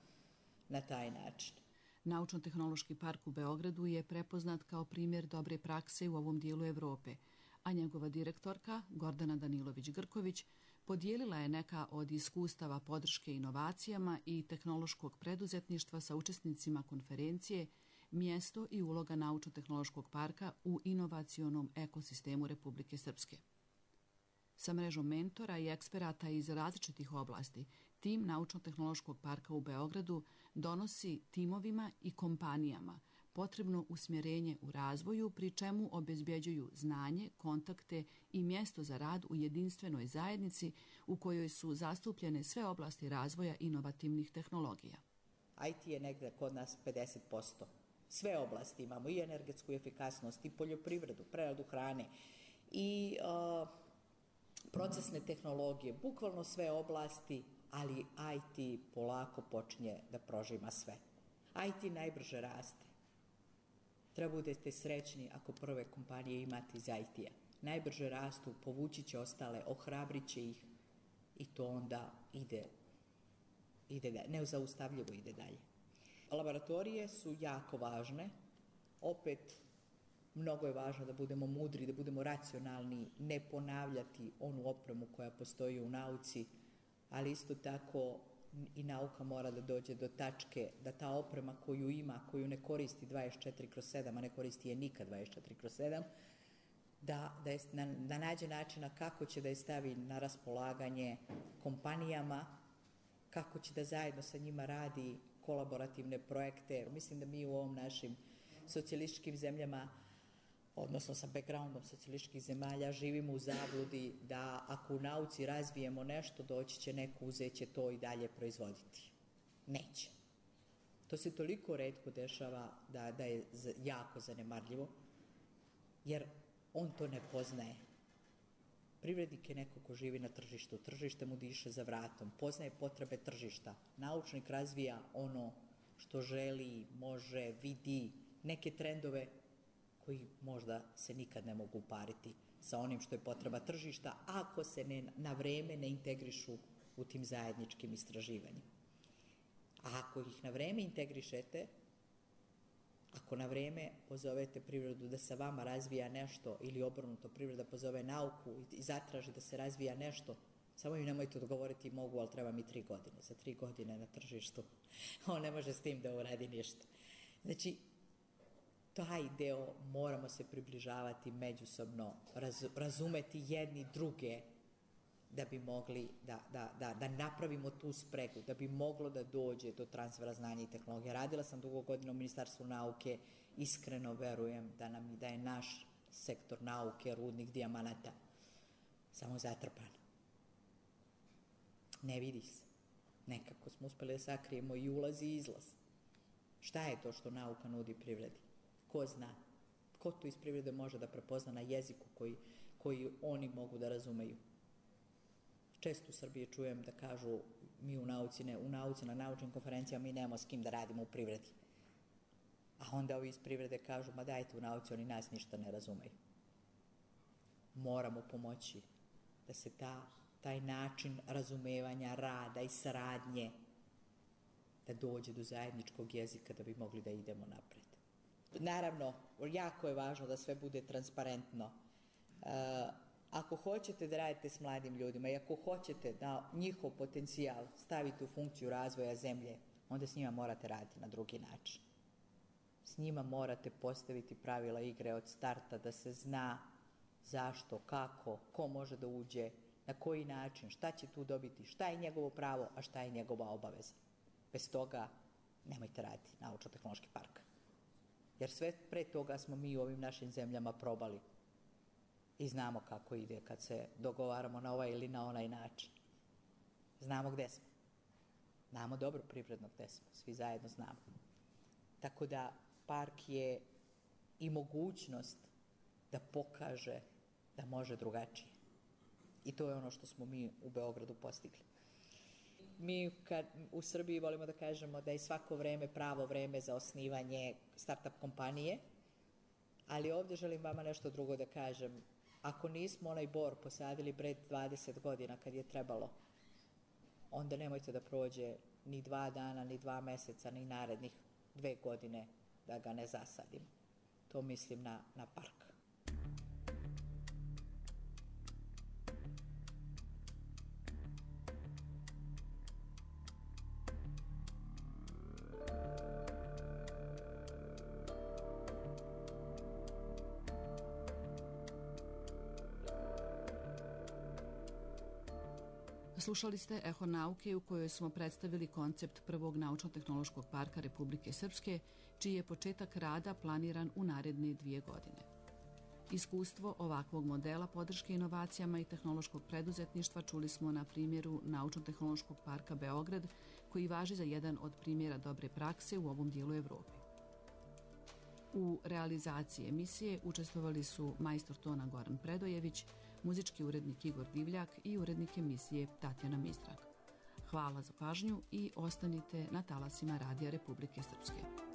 na taj način. Naučno-tehnološki park u Beogradu je prepoznat kao primjer dobre prakse u ovom dijelu Evrope, a njegova direktorka, Gordana Danilović-Grković, podijelila je neka od iskustava podrške inovacijama i tehnološkog preduzetništva sa učesnicima konferencije Mjesto i uloga Naučno-tehnološkog parka u inovacionom ekosistemu Republike Srpske. Sa mrežom mentora i eksperata iz različitih oblasti, tim Naučno-tehnološkog parka u Beogradu donosi timovima i kompanijama potrebno usmjerenje u razvoju, pri čemu obezbjeđuju znanje, kontakte i mjesto za rad u jedinstvenoj zajednici u kojoj su zastupljene sve oblasti razvoja inovativnih tehnologija. I T je negde kod nas pedeset posto. Sve oblasti imamo, i energetsku efikasnost, i poljoprivredu, preradu hrane, i uh, procesne tehnologije, bukvalno sve oblasti, ali I T polako počinje da prožima sve. I T najbrže raste. Treba budete srećni ako prve kompanije imate iz I T-a. Najbrže rastu, povući će ostale, ohrabrit će ih i to onda ide, ide dalje, nezaustavljivo ide dalje. Laboratorije su jako važne. Opet, mnogo je važno da budemo mudri, da budemo racionalni, ne ponavljati onu opremu koja postoji u nauci, ali isto tako i nauka mora da dođe do tačke da ta oprema koju ima, koju ne koristi dvadeset četiri kroz sedam, a ne koristi je nikad dvadeset četiri kroz sedam, da, da, je, da, da nađe načina kako će da je stavi na raspolaganje kompanijama, kako će da zajedno sa njima radi kolaborativne projekte. Mislim da mi u ovom našim socijalističkim zemljama, odnosno sa backgroundom socijalističkih zemalja, živimo u zabludi da ako u nauci razvijemo nešto, doći će neko, uzet će to i dalje proizvoditi. Neće. To se toliko retko dešava da, da je jako zanemarljivo, jer on to ne poznaje. Privrednik je neko ko živi na tržištu, tržište mu diše za vratom, poznaje potrebe tržišta. Naučnik razvija ono što želi, može, vidi, neke trendove koji možda se nikad ne mogu upariti sa onim što je potreba tržišta, ako se ne, na vreme ne integrišu u tim zajedničkim istraživanjima. A ako ih na vreme integrišete, ako na vreme pozovete privredu da sa vama razvija nešto ili obrnuto privreda pozove nauku i zatraži da se razvija nešto, samo im nemojte odgovoriti mogu, ali treba mi tri godine. Za tri godine na tržištu on ne može s tim da uradi ništa. Znači, taj deo moramo se približavati međusobno, raz, razumeti jedni druge da bi mogli da, da, da, da napravimo tu spregu, da bi moglo da dođe do transfera znanja i tehnologije. Radila sam dugo godina u Ministarstvu nauke, iskreno verujem da, nam, da je naš sektor nauke, rudnik dijamanata, samo zatrpan. Ne vidi se. Nekako smo uspeli da sakrijemo i ulaz i izlaz. Šta je to što nauka nudi privredi? Ko zna? Ko to iz privrede može da prepozna na jeziku koji, koji oni mogu da razumeju? Često u Srbiji čujem da kažu mi u nauci, ne, u nauci na naučnim konferencijama mi nemamo s kim da radimo u privredi. A onda ovi iz privrede kažu ma dajte u nauci, oni nas ništa ne razumeju. Moramo pomoći da se ta, taj način razumevanja, rada i saradnje da dođe do zajedničkog jezika da bi mogli da idemo napred. Naravno, jako je važno da sve bude transparentno. Uh, ako hoćete da radite s mladim ljudima i ako hoćete da njihov potencijal stavite u funkciju razvoja zemlje, onda s njima morate raditi na drugi način. S njima morate postaviti pravila igre od starta da se zna zašto, kako, ko može da uđe, na koji način, šta će tu dobiti, šta je njegovo pravo, a šta je njegova obaveza. Bez toga nemojte raditi naučno-tehnološki park. Jer sve pre toga smo mi u ovim našim zemljama probali i znamo kako ide kad se dogovaramo na ovaj ili na onaj način. Znamo gde smo. Znamo dobro privredno gde smo. Svi zajedno znamo. Tako da park je i mogućnost da pokaže da može drugačije. I to je ono što smo mi u Beogradu postigli. Mi kad u Srbiji volimo da kažemo da je svako vreme pravo vreme za osnivanje start-up kompanije, ali ovdje želim vama nešto drugo da kažem. Ako nismo onaj bor posadili pred dvadeset godina kad je trebalo, onda nemojte da prođe ni dva dana, ni dva meseca, ni narednih dve godine da ga ne zasadimo. To mislim na, na park. Slušali ste Eho nauke u kojoj smo predstavili koncept prvog naučno-tehnološkog parka Republike Srpske, čiji je početak rada planiran u naredne dvije godine. Iskustvo ovakvog modela podrške inovacijama i tehnološkog preduzetništva čuli smo na primjeru Naučno-tehnološkog parka Beograd, koji važi za jedan od primjera dobre prakse u ovom dijelu Evrope. U realizaciji emisije učestvovali su majstor tona Goran Predojević, muzički urednik Igor Divljak i urednik emisije Tatjana Mistrak. Hvala za pažnju i ostanite na talasima Radija Republike Srpske.